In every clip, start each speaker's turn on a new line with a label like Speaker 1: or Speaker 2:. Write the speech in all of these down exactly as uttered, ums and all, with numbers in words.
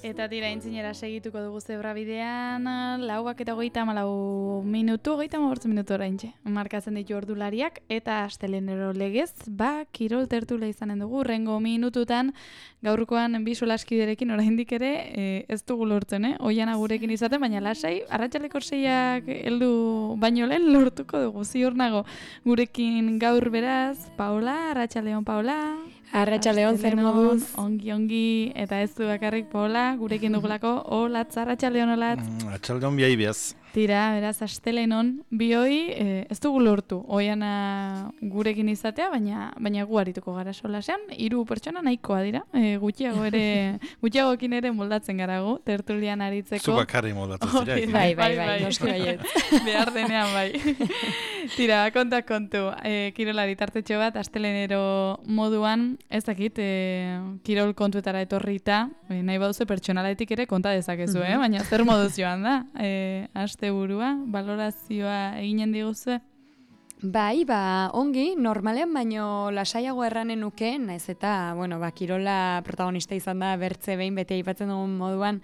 Speaker 1: Eta tira intzinera segituko dugu zebra bidean, lauak eta hogeita hamalau minutu, hogeita hamabortz minutu oraintxe. Markatzen ditu ordulariak eta astelenero legez, ba, kirol tertula izanen dugu, rengo minututan, gaurkoan bi solaskiderekin oraindik ere e, ez dugu lortzen, eh? Oiana gurekin izaten, baina lasai, arratsaleko seiak heldu baino lehen lortuko dugu, ziur nago. Gurekin gaur beraz, Paola, arratsaldeon Paola.
Speaker 2: Arratsaldeon zer moduz?
Speaker 1: Ongi, ongi, eta ez du bakarrik Paola, gurekin dugulako, olatz, arratsaldeon olatz.
Speaker 3: Mm, arratsaldeon biai biaz.
Speaker 1: Tira, beraz, astelenon, bioi, eh, ez dugu lortu, oiana gurekin izatea, baina baina gu arituko gara solasean, hiru pertsona nahikoa dira, e, gutxiago ere, gutxiagokin ere moldatzen gara gu, tertulian aritzeko.
Speaker 3: Zu bakarri moldatu zira.
Speaker 2: Oh, bai, bai, bai, noski baiet.
Speaker 1: Behar denean bai. Tira, konta kontu, e, kirolari tartetxo bat, astelenero moduan, ez dakit, e, kirol kontuetara etorrita, e, nahi baduze pertsonaletik ere konta dezakezu, eh? Baina zer moduz joan da, e, aste burua, balorazioa eginen diguzue?
Speaker 2: Bai, ba, ongi, normalean baino lasaiago erranen nuke, naiz eta, bueno, ba, kirola protagonista izan da bertze behin bete aipatzen dugun moduan,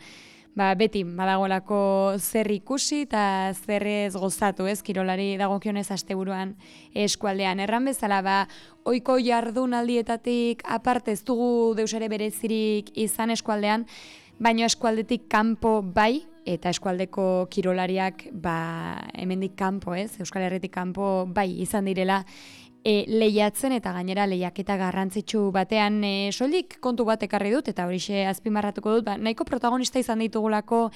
Speaker 2: ba, beti badagoelako zer ikusi eta zer ez gozatu, ez, kirolari dagokionez asteburuan eskualdean. Erran bezala, ba, ohiko jardunaldietatik aparte ez dugu deus ere berezirik izan eskualdean, baino eskualdetik kanpo bai, eta eskualdeko kirolariak ba, hemendik kanpo, ez, Euskal Herritik kanpo bai izan direla e, lehiatzen eta gainera lehiaketa garrantzitsu batean e, soilik kontu bat ekarri dut eta horixe azpimarratuko dut, ba, nahiko protagonista izan ditugulako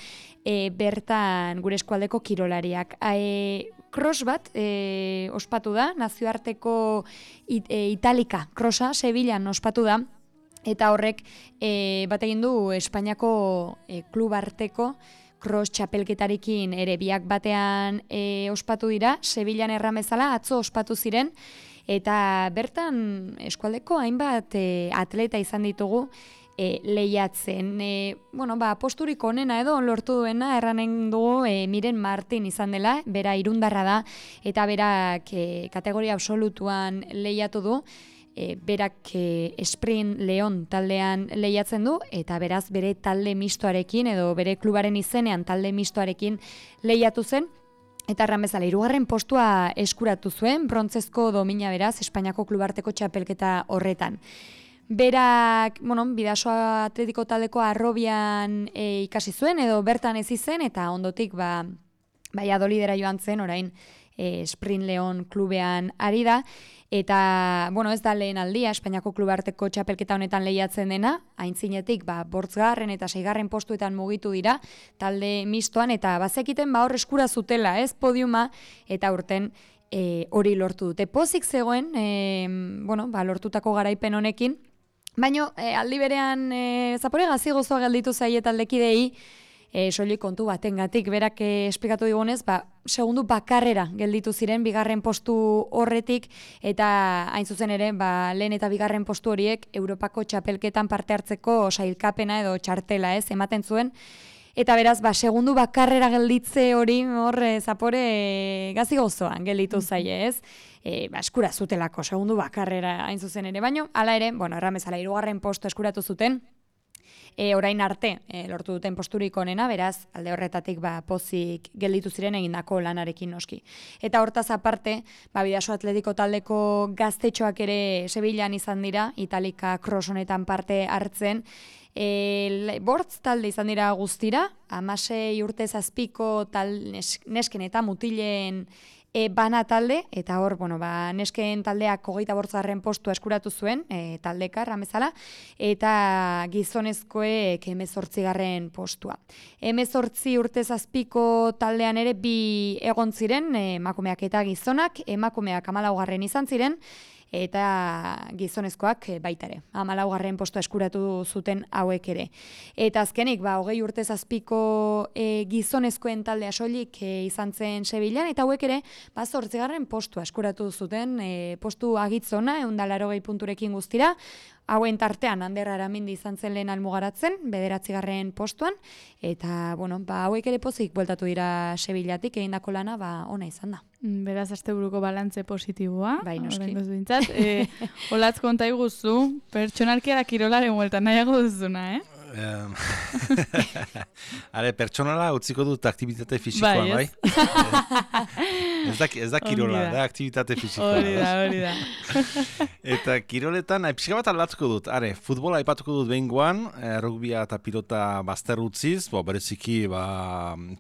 Speaker 2: e, bertan gure eskualdeko kirolariak. E, cross bat e, ospatu da, nazioarteko it, e, Italika crossa Sevillan ospatu da, eta horrek e, bat egin du Espainiako e, klub arteko cross txapelketarekin ere biak batean e, ospatu dira, Sevillan erran bezala atzo ospatu ziren, eta bertan eskualdeko hainbat e, atleta izan ditugu e, lehiatzen. E, bueno, ba, posturik onena edo lortu duena erranen dugu e, Miren Martin izan dela, bera irundarra da, eta berak e, kategoria absolutuan lehiatu du, E, berak e, Sprint Leon taldean lehiatzen du, eta beraz bere talde mistoarekin, edo bere klubaren izenean talde mistoarekin lehiatu zen, eta erran bezala, hirugarren postua eskuratu zuen, brontzezko domina beraz, Espainiako klubarteko txapelketa horretan. Berak, bueno, Bidasoa Atletiko taldeko Arrobian e, ikasi zuen, edo bertan ez izen, eta ondotik, ba, Valladolidera joan zen, orain, e, Sprint Leon klubean ari da, eta, bueno, ez da lehen aldia, Espainiako klubarteko txapelketa honetan lehiatzen dena, aintzinetik, ba, bortzgarren eta seigarren postuetan mugitu dira, talde mistoan, eta bazekiten, ba, hor eskura zutela, ez, podiuma, eta urten e, hori lortu dute. Pozik zegoen, e, bueno, ba, lortutako garaipen honekin, baina e, aldi berean e, zapore gazi gozoa gelditu zaie taldekidei, E, soilik kontu batengatik berak e, esplikatu digunez, ba, segundu bakarrera gelditu ziren bigarren postu horretik, eta hain zuzen ere, ba, lehen eta bigarren postu horiek Europako txapelketan parte hartzeko sailkapena edo txartela, ez, ematen zuen, eta beraz, ba, segundu bakarrera gelditze hori hor e, zapore e, gazi gozoan gelditu zaie, ez? E, ba, eskura zutelako, segundu bakarrera hain zuzen ere, baino, hala ere, bueno, erramezala, hirugarren postu eskuratu zuten, E, orain arte e, lortu duten posturik onena, beraz, alde horretatik ba, pozik gelditu ziren egindako lanarekin noski. Eta hortaz aparte, ba, Bidasoa Atletiko taldeko gaztetxoak ere Sevillan izan dira, Italika cross honetan parte hartzen, e, bortz talde izan dira guztira, hamasei urte zazpiko tal, nes, nesken eta mutilen E, bana talde, eta hor, bueno, ba, nesken taldeak hogeita bortzarren postua eskuratu zuen, e, taldeka, ramezala, eta gizonezkoek hemezortzigarren postua. Hemezortzi urte zazpiko taldean ere bi egon ziren, emakumeak eta gizonak, emakumeak hamalaugarren izan ziren, eta gizonezkoak baita ere. hamalaugarren postua eskuratu zuten hauek ere. Eta azkenik, ba, hogei urte zazpiko e, gizonezkoen taldea soilik e, izan zen Sevillan, eta hauek ere, ba, zortzigarren postua eskuratu zuten, e, postu agitzona, ehun eta laurogei punturekin guztira, hauen tartean Ander Aramindi izan zen lehen almugaratzen, bederatzigarren postuan, eta, bueno, ba, hauek ere pozik bueltatu dira Sevillatik, egindako lana, ba, ona izan da.
Speaker 1: Beraz, asteburuko balantze positiboa.
Speaker 2: Bai, noski.
Speaker 1: E, olatz konta iguzu, pertsonalki ara kirolaren bueltan nahiago duzuna, eh?
Speaker 3: Em, Are, pertsonala utziko dut aktivitate fisikoa,
Speaker 1: Bai,
Speaker 3: bai?
Speaker 1: ez?
Speaker 3: Ez da, ez da kirola,
Speaker 1: Ongi da.
Speaker 3: da aktivitate fisikoa.
Speaker 1: Hori da, hori da.
Speaker 3: Eta kiroletan, eh, pixka bat aldatuko dut. Are, futbola aipatuko dut behingoan, eh, rugbia eta pilota bazter utziz, bo, bereziki ba,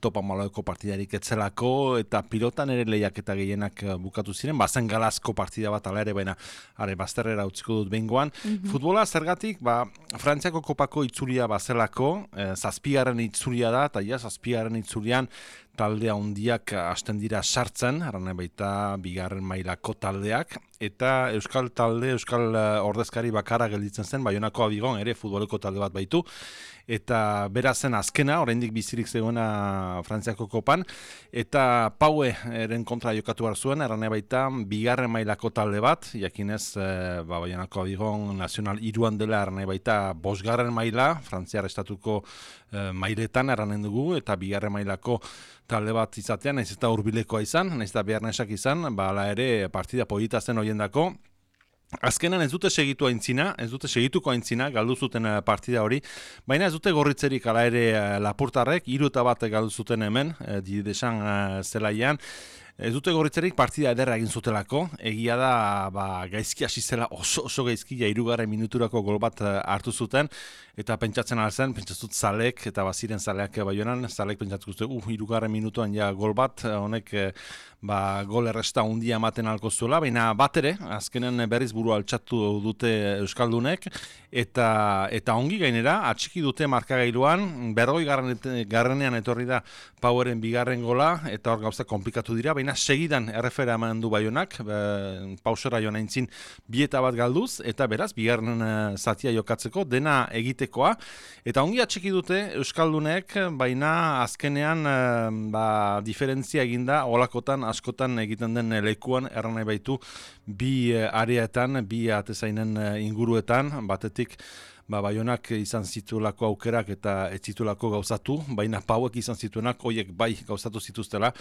Speaker 3: topa maloeko partidarik etzelako, eta pilotan ere lehiaketa gehienak eh, bukatu ziren, bazen galazko partida bat ala ere, baina are, bazterrera utziko dut behingoan.
Speaker 1: Mhm.
Speaker 3: Futbola zergatik, ba, Frantziako kopako itzulia bazelako, eh, zazpigarren itzulia da, eta ja, zazpigarren itzulian talde handiak hasten dira sartzen, arana baita bigarren mailako taldeak, eta euskal talde, euskal eh, ordezkari bakarra gelditzen zen, Baionako Abigon ere futboleko talde bat baitu, eta berazen azkena, oraindik bizirik zegoena Frantziako kopan, eta Paue eren kontra jokatu behar zuen, arana baita bigarren mailako talde bat, jakinez eh, ba, Baionako Abigon nazional iruan dela, arana baita bosgarren maila, Frantziar estatuko eh, mailetan eranen dugu, eta bigarren mailako talde bat izatean, nahiz eta hurbilekoa izan, nahiz eta beharnesak izan, ba, ala ere partida polita zen horiendako. Azkenan ez dute segitu aintzina, ez dute segituko aintzina, galdu zuten eh, partida hori, baina ez dute gorritzerik ala ere eh, lapurtarrek, hiru eta bat galdu zuten hemen, eh, didesan eh, zelaian, ez dute gorritzerik partida ederra egin zutelako, egia da ba, gaizki hasi zela oso, oso gaizki, ja hirugarren minuturako gol bat eh, hartu zuten, eta pentsatzen alzen, pentsatzut Zalek, eta baziren Zaleak Baionan, Zalek pentsatzen zuten, uh, hirugarren minutuan ja gol bat, honek eh, ba, gol erresta hundia ematen alko zuela, baina bat ere, azkenen berriz buru altxatu dute Euskaldunek, eta eta ongi gainera, atxiki dute markagailuan, berroi garrenean etorri da Paueren bigarren gola, eta hor gauza komplikatu dira, baina segidan errefera eman du Baionak, e, pausera joan aintzin bieta bat galduz, eta beraz, bigarren e, zatia jokatzeko, dena egitekoa, eta ongi atxiki dute Euskaldunek, baina azkenean e, ba, diferentzia eginda, olakotan askotan egiten den lekuan erran nahi baitu bi areetan, bi atezainen inguruetan, batetik ba, Baionak izan zituelako aukerak eta ez zituelako gauzatu, baina Pauek izan zituenak hoiek bai gauzatu zituztela,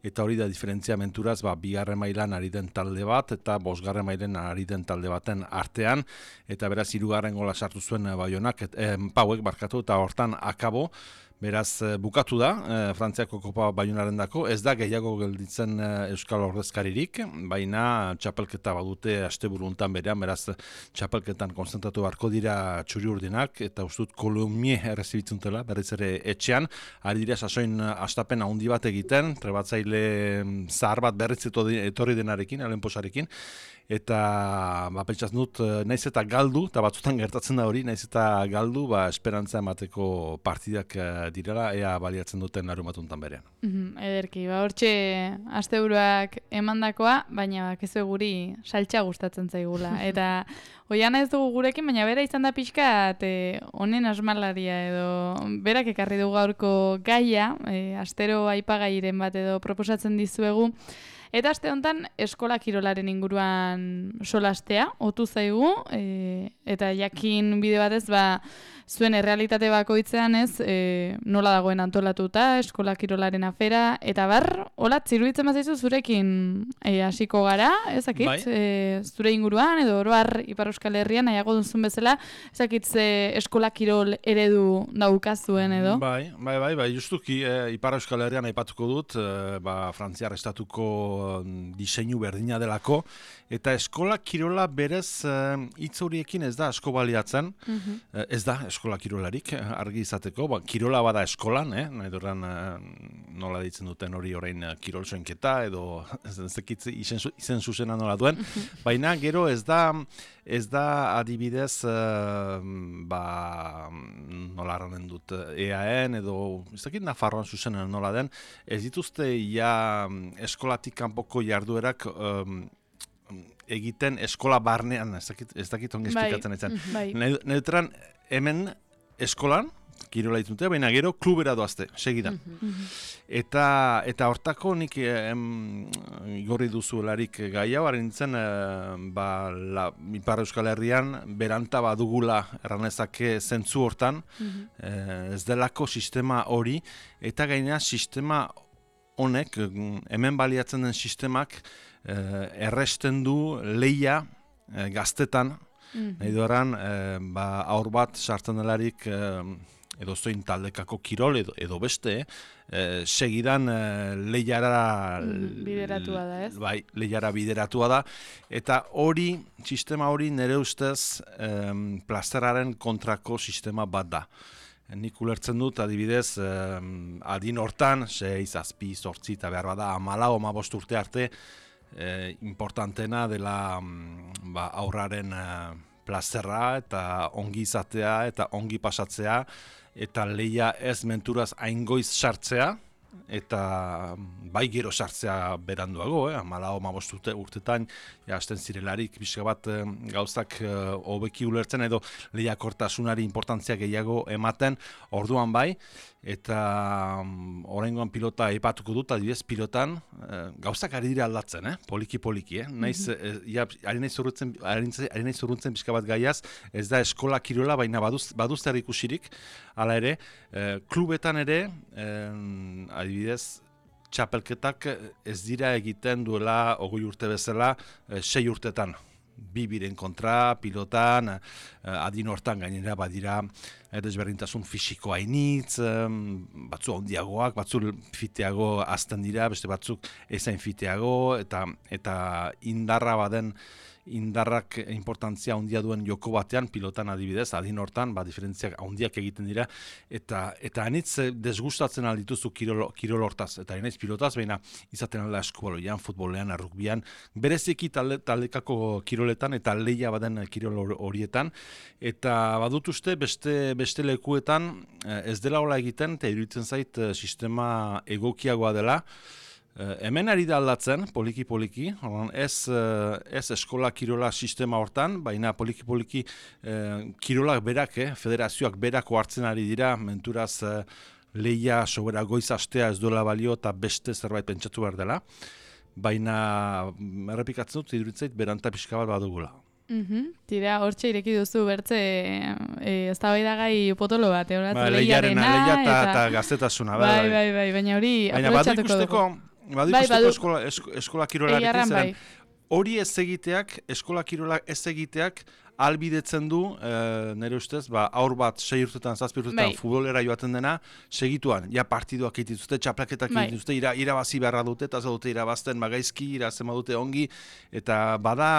Speaker 3: eta hori da diferentzia menturaz, ba, bigarren mailan ari den talde bat, eta bosgarren mailen ari den talde baten artean, eta beraz hirugarren gola sartu zuen Baionak, et, eh, Pauek barkatu, eta hortan akabo. Beraz, bukatu da, eh, Frantziako Kopa Baionaren dako, ez da gehiago gelditzen eh, Euskal Ordezkaririk, baina txapelketa badute asteburu hontan berean, beraz txapelketan konzentratu beharko dira txuri urdinak, eta ustut Kolomie errezibitzentela, berriz ere etxean, ari dira sasoin astapen handi bat egiten, trebatzaile zahar bat berriz etorri denarekin, alenposarekin, eta ba, pentsaz dut, naiz eta galdu, eta batzutan gertatzen da hori, naiz eta galdu, ba, esperantza emateko partidak direla, ea baliatzen duten larumatuntan berean.
Speaker 1: Mm, ederki, ba, hortxe asteburuak emandakoa, baina bakizu guri saltxa gustatzen zaigula. Eta Oiana ez dugu gurekin, baina bera izan da pixka, honen asmalaria edo berak ekarri dugu gaurko gaia, e, astero aipagairen bat edo proposatzen dizuegu. Eta aste honetan eskola kirolaren inguruan solastea, otu zaigu, e, eta jakin bide batez, ba, zuen errealitate bakoitzean ez, e, nola dagoen antolatuta, eskola kirolaren afera, eta bar, hola, ziruditzen bazaizu zurekin e, hasiko gara, ezakit,
Speaker 3: Bai.
Speaker 1: e, zure inguruan, edo oroar Ipar Euskal Herrian, nahiago duzun bezala, ezakit ze eskola kirol eredu daukazuen edo?
Speaker 3: Bai, bai, bai, bai, justuki, e, Ipar Euskal Herrian aipatuko dut, e, ba, Frantziar estatuko diseinu berdina delako, eta eskola kirola berez hitz uh, horiekin ez da asko baliatzen,
Speaker 1: Mhm.
Speaker 3: uh, ez da eskola kirolarik, argi izateko, ba, kirola bada eskolan, eh? nahi duran uh, nola ditzen duten hori orain uh, kirol soinketa, edo zekitze izen, izen zuzena nola duen, baina gero ez da, ez da adibidez, uh, ba, nola arranen dut, E A N edo, ez dakit Nafarroan zuzena nola den, ez dituzte ja eskolatik kanpoko jarduerak um, egiten eskola barnean, ez dakit, ez dakit ongi
Speaker 1: Bai.
Speaker 3: esplikatzen etzen.
Speaker 1: Bai.
Speaker 3: Neutran hemen eskolan, kirola ditute, baina gero klubera doazte, segidan. Eta eta hortako nik em, igorri duzuelarik gai hau, haren nintzen, eh, ba, la, Ipar Euskal Herrian beranta badugula erranezake zentzu hortan, eh, ez delako sistema hori, eta gainera sistema honek, hemen baliatzen den sistemak, eh, erresten du lehia eh, gaztetan,
Speaker 1: Mhm.
Speaker 3: Nahi duaran, e, ba, aur bat sartzen delarik e, edo zoin taldekako kirol edo, edo beste, e, segidan e, lehiara
Speaker 1: Mhm, bideratua da, ez?
Speaker 3: Bai, lehiara bideratua da, eta hori, sistema hori nire ustez em, plazeraren kontrako sistema bat da. Nik ulertzen dut, adibidez, em, adin hortan, sei, zazpi, zortzi, eta behar bada, amalau, amabost urte arte, eh, importantena dela mm, ba, aurraren eh, plazerra eta ongi izatea eta ongi pasatzea, eta lehia ez menturaz aingoiz sartzea, eta bai gero sartzea beranduago, eh? Amalau, amabost urte, urtetan, ja, hasten zirelarik, pixka bat eh, gauzak eh, hobeki ulertzen edo lehiakortasunari importantzia gehiago ematen, orduan bai, eta um, oraingoan pilota aipatuko dut, adibidez pilotan eh, gauzak ari dira aldatzen, eh? Poliki-poliki, eh? Naiz, eh, ja, ari naiz urrutzen, ari naiz urrutzen pixka bat gaiaz, ez da eskola kirola, baina baduz, baduz zer ikusirik, hala ere, eh, klubetan ere, eh, adibidez, txapelketak ez dira egiten duela hogei urte bezala eh, sei urtetan. Bi biren kontra, pilotan, eh, adin hortan gainera badira eh, desberdintasun fisiko hainitz, eh, batzu handiagoak, batzu fiteago azten dira, beste batzuk ezain fiteago, eta, eta indarra baden indarrak importantzia handia duen joko batean, pilotan adibidez, adin hortan, ba, diferentziak handiak egiten dira, eta eta anitz desgustatzen aldituzu kirol, kirol hortaz, eta anitz pilotaz, baina izaten alda eskubaloian, futbolean, errukbian, bereziki talde, taldekako kiroletan, eta lehia baden kirol horietan, eta badut uste beste, beste lekuetan ez dela hola egiten, eta iruditzen zait sistema egokiagoa dela. Uh, hemen ari da aldatzen, poliki-poliki, ez, uh, ez eskola kirola sistema hortan, baina poliki-poliki uh, kirolak berak, eh, federazioak berako hartzen ari dira, menturaz uh, lehia sobera goiz astea ez duela balio eta beste zerbait pentsatu behar dela, baina errepikatzen dut, iduritzait, beranta pixka bat badugula.
Speaker 1: Mm-hmm. Tira, hortxe ireki duzu bertze e, ez da bai da gai potolo bat, e,
Speaker 3: ba, lehiarena, leia eta, eta gaztetasuna.
Speaker 1: Bai, bai, bai, bai, baina hori aprobetxatuko dugu.
Speaker 3: Badu
Speaker 1: bai,
Speaker 3: ikusteko eskola, esko, eskola kirolarekin
Speaker 1: bai.
Speaker 3: Hori ez egiteak, eskola kirola ez egiteak, albidetzen du, e, nire ustez, ba, aur bat, sei urtetan, zazpi urtetan, bai. Futbolera joaten dena, segituan, ja partiduak egituzte, txaplaketak bai. egituzte, ira, irabazi beharra dute, eta dute irabazten magaizki, irazema dute ongi, eta bada,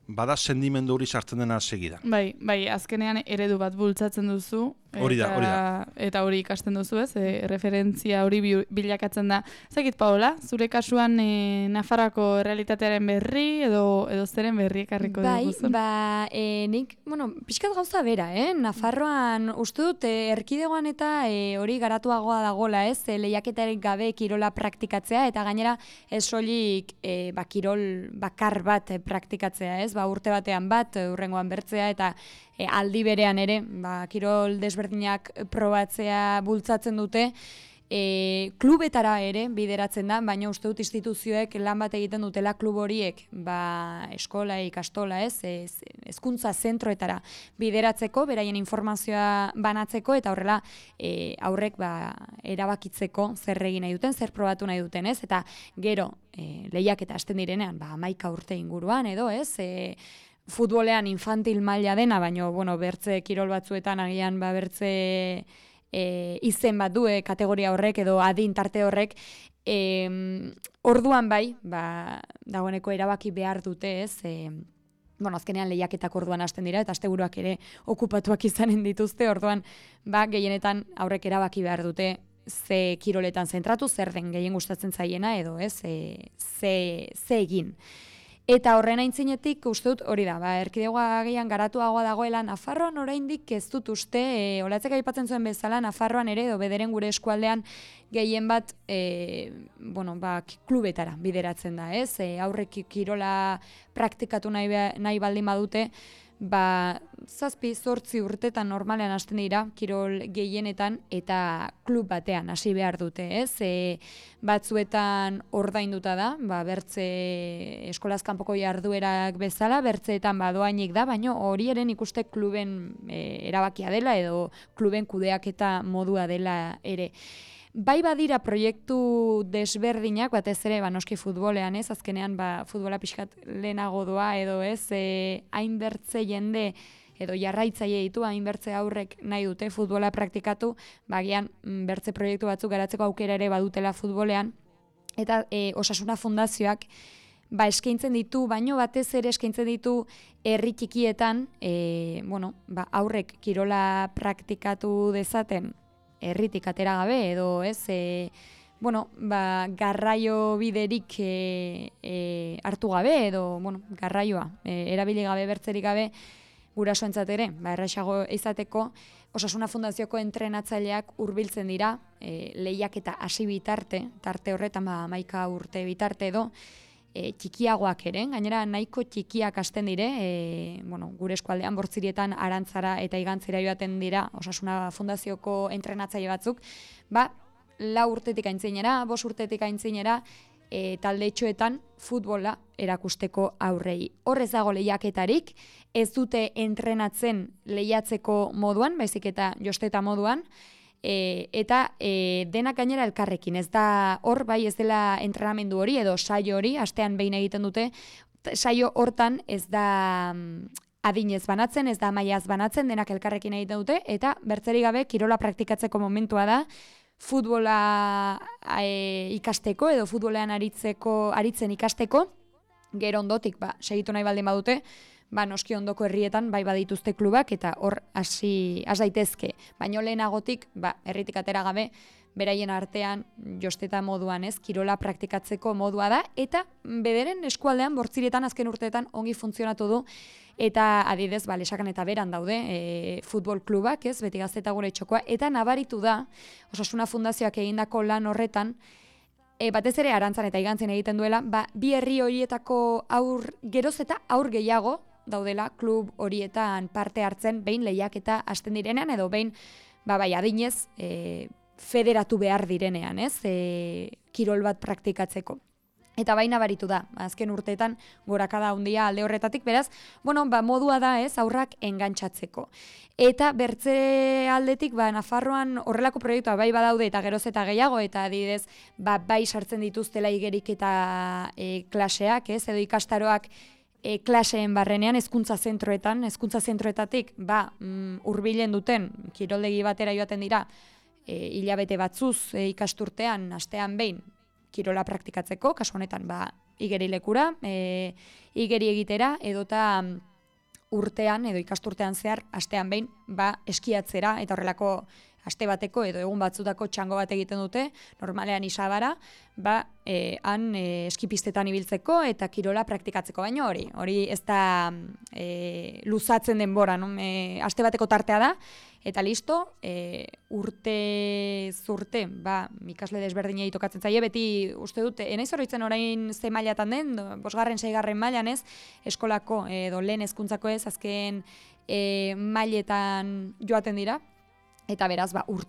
Speaker 3: bada sendimendu hori sartzen dena segidan.
Speaker 1: Bai, bai, azkenean eredu bat bultzatzen duzu,
Speaker 3: hori da, hori da.
Speaker 1: Eta hori ikasten duzu, ez, e, referentzia hori bilakatzen da. Zakit, Paola, zure kasuan e, Nafarroako realitatearen berri, edo, edo zeren berri ekarriko
Speaker 2: bai,
Speaker 1: diguzun?
Speaker 2: Bai, ba, e, nik, bueno, pixkat gauza bera, eh? Nafarroan uste dut, e, erkidegoan eta e, hori garatuagoa dagola, ez, e, lehiaketarik gabe kirola praktikatzea, eta gainera ez soilik e, ba, kirol bakar bat e, praktikatzea, ez, ba, urte batean bat, urrengoan bertzea, eta e, aldi berean ere, ba, kirol desberdinak probatzea bultzatzen dute, E, klubetara ere bideratzen da, baina uste dut instituzioek lan bat egiten dutela klub horiek, ba, eskola, ikastola, ez, ez, hezkuntza zentroetara bideratzeko, beraien informazioa banatzeko, eta horrela e, aurrek ba, erabakitzeko zer egin nahi duten, zer probatu nahi duten, ez, eta gero e, lehiak eta hasten direnean, ba, hamaika urte inguruan edo, ez, e, futbolean infantil maila dena, baina, bueno, bertze kirol batzuetan agian, ba, bertze E, izen bat du e, kategoria horrek edo adin tarte horrek, e, orduan bai, ba, dagoeneko erabaki behar dute, ez, e, bueno, azkenean lehiaketak orduan hasten dira, eta asteburuak ere okupatuak izanen dituzte, orduan ba, gehienetan aurrek erabaki behar dute ze kiroletan zentratu, zer den gehien gustatzen zaiena, edo ez, e, ze, ze egin. Eta horren aintzinetik uste dut hori da, ba, erkidegoa gehian garatuagoa dagoela Nafarroan oraindik ez dut uste, e, olatzek aipatzen zuen bezala Nafarroan ere, edo bederen gure eskualdean gehien bat e, bueno, ba, klubetara bideratzen da, ez? E, aurrek kirola praktikatu nahi, nahi baldin badute, ba, zazpi, zortzi urtetan normalean hasten dira, kirol gehienetan, eta klub batean hasi behar dute, ez? E, batzuetan ordainduta da, ba, bertze eskolaz kanpoko jarduerak bezala, bertzeetan badoainik da, baina hori eren ikuste kluben e, erabakia dela, edo kluben kudeaketa modua dela ere. Bai badira proiektu desberdinak, batez ere, ba, noski futbolean, ez, azkenean, ba, futbola pixkat lehenago doa, edo ez, e, hainbertze jende, edo jarraitzaile ditu, hainbertze aurrek nahi dute futbola praktikatu, bagian bertze proiektu batzuk garatzeko aukera ere badutela futbolean, eta e, Osasuna Fundazioak ba, eskaintzen ditu, baino batez ere eskaintzen ditu herri txikietan, e, bueno, ba, aurrek kirola praktikatu dezaten, herritik atera gabe, edo ez, e, bueno, ba, garraio biderik e, e, hartu gabe, edo, bueno, garraioa, e, erabili gabe, bertzerik gabe, gurasoentzat ere, ba, erraixago izateko, Osasuna Fundazioko entrenatzaileak hurbiltzen dira, e, lehiaketa hasi bitarte, tarte horretan, ba, hamaika urte bitarte edo, e, txikiagoak ere, gainera nahiko txikiak hasten dire, e, bueno, gure eskualdean Bortzirietan Arantzara eta Igantzira joaten dira Osasuna Fundazioko entrenatzaile batzuk, ba, lau urtetik aintzinera, bost urtetik aintzinera, e, taldetxoetan futbola erakusteko aurrei. Horrez dago lehiaketarik, ez dute entrenatzen lehiatzeko moduan, baizik eta josteta moduan, E, eta e, denak gainera elkarrekin, ez da hor bai ez dela entrenamendu hori edo saio hori, astean behin egiten dute, saio hortan ez da adinez banatzen, ez da mailaz banatzen, denak elkarrekin egiten dute, eta bertzerik gabe kirola praktikatzeko momentua da, futbola e, ikasteko edo futbolean aritzeko, aritzen ikasteko, gero ondotik, ba, segitu nahi baldin badute, ba, noski ondoko herrietan bai badituzte klubak eta hor hasi has daitezke. Baino lehenagotik, ba, herritik atera gabe, beraien artean josteta moduan, ez, kirola praktikatzeko modua da, eta bederen eskualdean Bortzirietan azken urteetan ongi funtzionatu du, eta adidez, ba, Lesakan eta Beran daude e, futbol klubak, ez, Beti Gazte Gure Txokoa, eta nabaritu da, Osasuna Fundazioak egindako lan horretan, E, batez ere Arantzan eta Igantzin egiten duela, ba, bi herri horietako aur, geroz eta aur gehiago daudela klub horietan parte hartzen, behin lehiaketa hasten direnean, edo behin, ba, bai, adinez, e, federatu behar direnean, ez, e, kirol bat praktikatzeko. Eta baina baritu da, azken urteetan gorakada handia alde horretatik, beraz, bueno, ba, modua da, ez, aurrak engantsatzeko. Eta bertze aldetik, ba, Nafarroan horrelako proiektua bai badaude eta geroz eta gehiago, eta adidez, ba, bai sartzen dituztela igerik eta e, klaseak, ez, edo ikastaroak e, klaseen barrenean, hezkuntza zentroetan, hezkuntza zentroetatik, ba, mm, hurbilen duten, kiroldegi batera joaten dira, e, hilabete batzuz e, ikasturtean, astean behin, kirola praktikatzeko, kasu honetan, ba, igeri lekura, e, igeri egitera, edota urtean, edo ikasturtean zehar, astean behin, ba, eskiatzera, eta horrelako aste bateko, edo egun batzutako txango bat egiten dute, normalean Isabara, ba, e, han e, eskipistetan ibiltzeko, eta kirola praktikatzeko, baino hori, hori ez da e, luzatzen denbora, no? E, aste bateko tartea da, eta listo, e, urte zurte, ba, ikasle desberdinei tokatzen zaie, beti uste dute, enaiz oroitzen orain ze mailatan den, bosgarren, seigarren mailan ez, eskolako edo lehen hezkuntzako ez, azken e, mailetan joaten dira, eta beraz, ba, ur,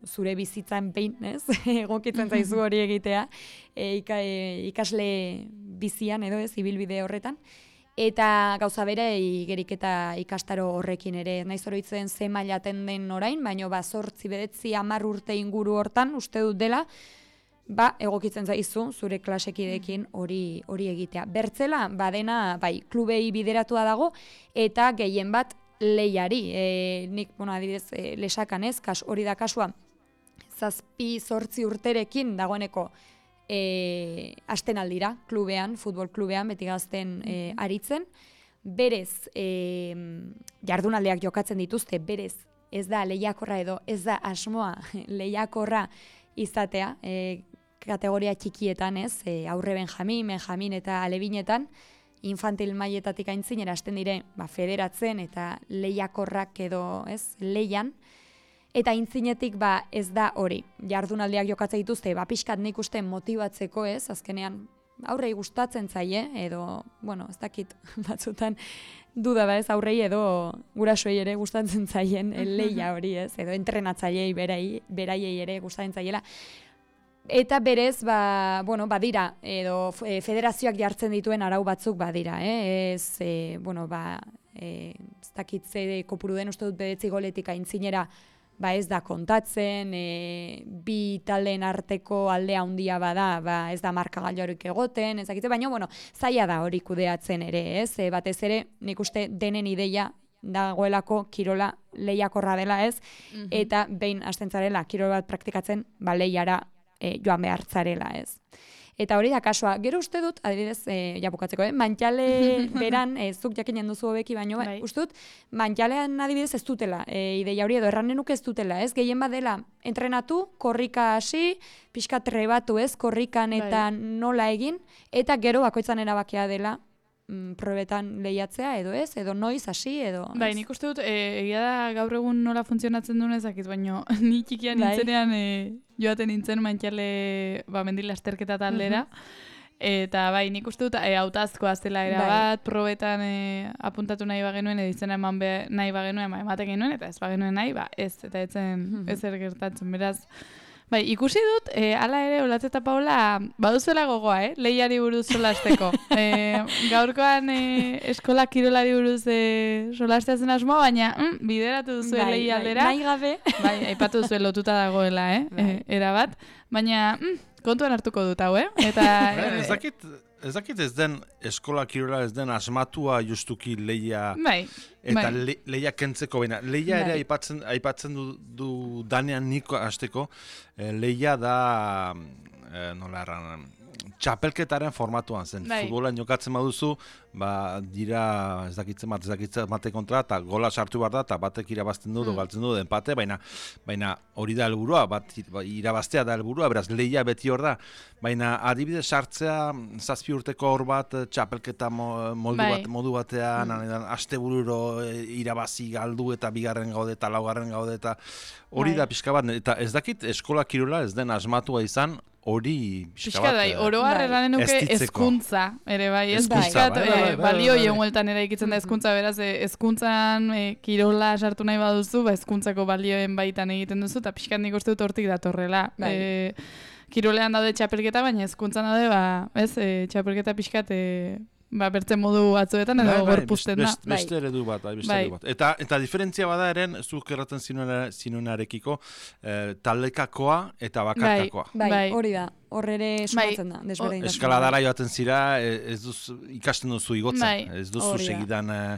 Speaker 2: zure bizitzan behin, ez, egokitzen zaizu hori egitea, e, ika, e, ikasle bizian edo ez, ibilbide horretan, eta gauza bere igerik eta ikastaro horrekin ere, naiz oroitzen ze mailaten den orain, baino ba zortzi bedetzi hamar urte inguru hortan uste dut dela, ba egokitzen zaizu zure klasekideekin hori hori egitea. Bertzela badena bai klubei bideratua dago eta gehien bat lehiari. E, nik, bueno, adibidez, e, Lesakan ez, kas, hori da kasua, zazpi zortzi urterekin dagoeneko E, asten aldira, klubean, futbol klubean, Beti Gazten e, aritzen. Berez, e, jardunaldeak jokatzen dituzte, berez, ez da lehiakorra edo, ez da asmoa lehiakorra izatea, e, kategoria txikietan, ez, e, aurre Benjamin, Benjamin eta Alebinetan, infantil mailetatik aintzinera hasten dire, ba, federatzen eta lehiakorrak edo, ez, lehian. Eta intzinetik ba ez da hori, jardunaldiak jokatzen dituzte, ba pixkat nik uste motibatzeko ez, azkenean aurrei gustatzen zaie, edo, bueno, ez dakit batzutan duda ba ez aurrei edo gurasoei ere gustatzen zaien lehia hori ez, edo entrenatzaileei berai, beraiei ere gustatzen zaiela. Eta berez, ba, bueno, badira, edo e, federazioak jartzen dituen arau batzuk badira, eh? ez, e, bueno, ba, e, ez dakit ze kopuru den uste dut bedetzi goletik aintzinera, ba ez da kontatzen, e, bi taldeen arteko aldea handia bada, ba ez da markagailurik egoten, ez dakite, baina bueno, zaila da hori kudeatzen ere, ez? E, batez ere, nik uste denen ideia dagoelako kirola lehiakorra dela, ez? Mm-hmm. Eta behin hasten zarela kirol bat praktikatzen, ba lehiara e, joan behar zarela, ez? Eta hori da kasua. Gero uste dut, adibidez, e, ja bukatzeko, eh? Mantxale beran, e, zuk jakinen duzu hobeki baino, bai. Uste dut, mantxalean adibidez ez dutela, e, ideia hori edo erranen nuke ez dutela, ez? Gehien badela, entrenatu, korrika hasi, pixka trebatu, ez? Korrikan eta bai. Nola egin, eta gero bakoitzan erabakia dela, mm, probetan lehiatzea, edo ez? Edo noiz hasi, edo...
Speaker 1: Bai, nik uste dut, e, egia da gaur egun nola funtzionatzen duen ezakit, baina ni txikian bai. Nintzenean... E, joaten nintzen mantxale ba, mendila esterketa taldera, uh-huh. Eta bai, nik uste dut e, hautazkoa zela era bai. Bat, probetan e, apuntatu nahi bagenuen, edo izena eman be, nahi bagenuen, ba, ematen genuen, eta ez bagenuen nahi, ba, ez, eta etzen uh-huh. ezer gertatzen, beraz. Bai, ikusi dut, e, ala ere, Olatz eta Paula, baduzuela gogoa, eh? Lehiari buruz solasteko. e, gaurkoan e, eskola kirolari buruz e, solasteazen asmoa, baina mm, bideratu duzu bai, lehi aldera.
Speaker 2: Bai, nahi gabe.
Speaker 1: Bai, aipatu duzu lotuta dagoela, eh? Bai. E, erabat. Baina mm, kontuan hartuko dut hau, eh? Eta,
Speaker 3: ez dakit... Ez dakit ez den eskola kirola ez den asmatua justuki lehia
Speaker 1: bai,
Speaker 3: eta
Speaker 1: bai.
Speaker 3: Le, lehia kentzeko baina. Lehia bai. Ere aipatzen, aipatzen du, du danean niko hasteko, eh, lehia da eh, nola erran, txapelketaren formatuan zen. Bai. Futbolan jokatzen baduzu, ba, dira ez dakitzen bat, ez dakitzen bate kontra, eta gola sartu behar da, eta batek irabazten du, mm. galtzen du, empate, baina, baina hori da helburua, bat irabaztea da helburua, beraz, lehia beti hor da. Baina adibidez sartzea zazpi urteko hor bat txapelketa modu, bai. bat, modu batean, mm. astebururo irabazi galdu eta bigarren gaude eta laugarren gaude eta hori bai. Da pixka bat, eta ez dakit eskola kirola ez den asmatua izan, hori pixka bat...
Speaker 1: Bai, oroar erranen nuke hezkuntza, ere bai, ezkuntza, bai, bai, bai, balio jengueltan ere ikitzen da hezkuntza, beraz, hezkuntzan e, kirola sartu nahi baduzu, ba, hezkuntzako balioen baitan egiten duzu, eta pixkat nik uste dut hortik datorrela. Bai. E, kirolean daude txapelketa, baina hezkuntzan daude, ba, ez, e, txapelketa pixkat... E, ba, bertzen modu batzuetan edo bai, gorpuzten da.
Speaker 3: Best, beste eredu bat, bai, beste bai. Eredu bat. Eta, eta diferentzia bada eren, zuk erraten zinunarekiko, eh, taldekakoa eta bakarkakoa.
Speaker 2: Bai, bai, hori da. Hor ere sumatzen da, desberdin.
Speaker 3: Eskaladara joaten zira, ez duz, ikasten duzu igotzen. Bai. Ez duzu segidan eh,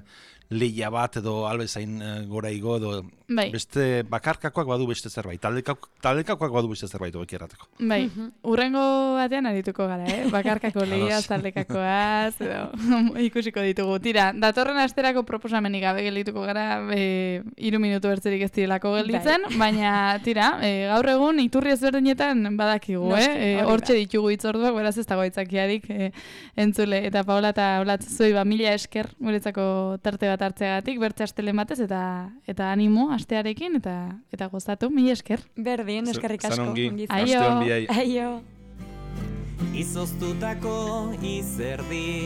Speaker 3: lehia bat edo albezain eh, gora igo edo bai. Beste bakarkakoak badu beste zerbait. Taldekak, taldekakoak badu beste zerbait hobeki errateko.
Speaker 1: Bai, uh-huh. Urrengo batean arituko gara, eh? Bakarkako lehia, taldekakoaz, edo ikusiko ditugu. Tira, datorren asterako proposamenik gabe geldituko gara, e, iru minutu bertzerik ez direlako gelditzen, bai. Baina, tira, e, gaur egun iturri ezberdinetan badakigu, Noski, eh? E, hortxe ditugu itzorduak, beraz ez dago itzakiarik e, entzule. Eta Paola eta Olatz zuei ba mila esker guretzako tarte bat hartzeagatik, bertze astelen batez, eta eta animo astearekin, eta eta gozatu, mila esker.
Speaker 2: Berdin, eskerrik asko.
Speaker 3: Zanongi,
Speaker 2: Aio.
Speaker 3: Aio.
Speaker 2: Aio.
Speaker 4: Izoztutako izerdi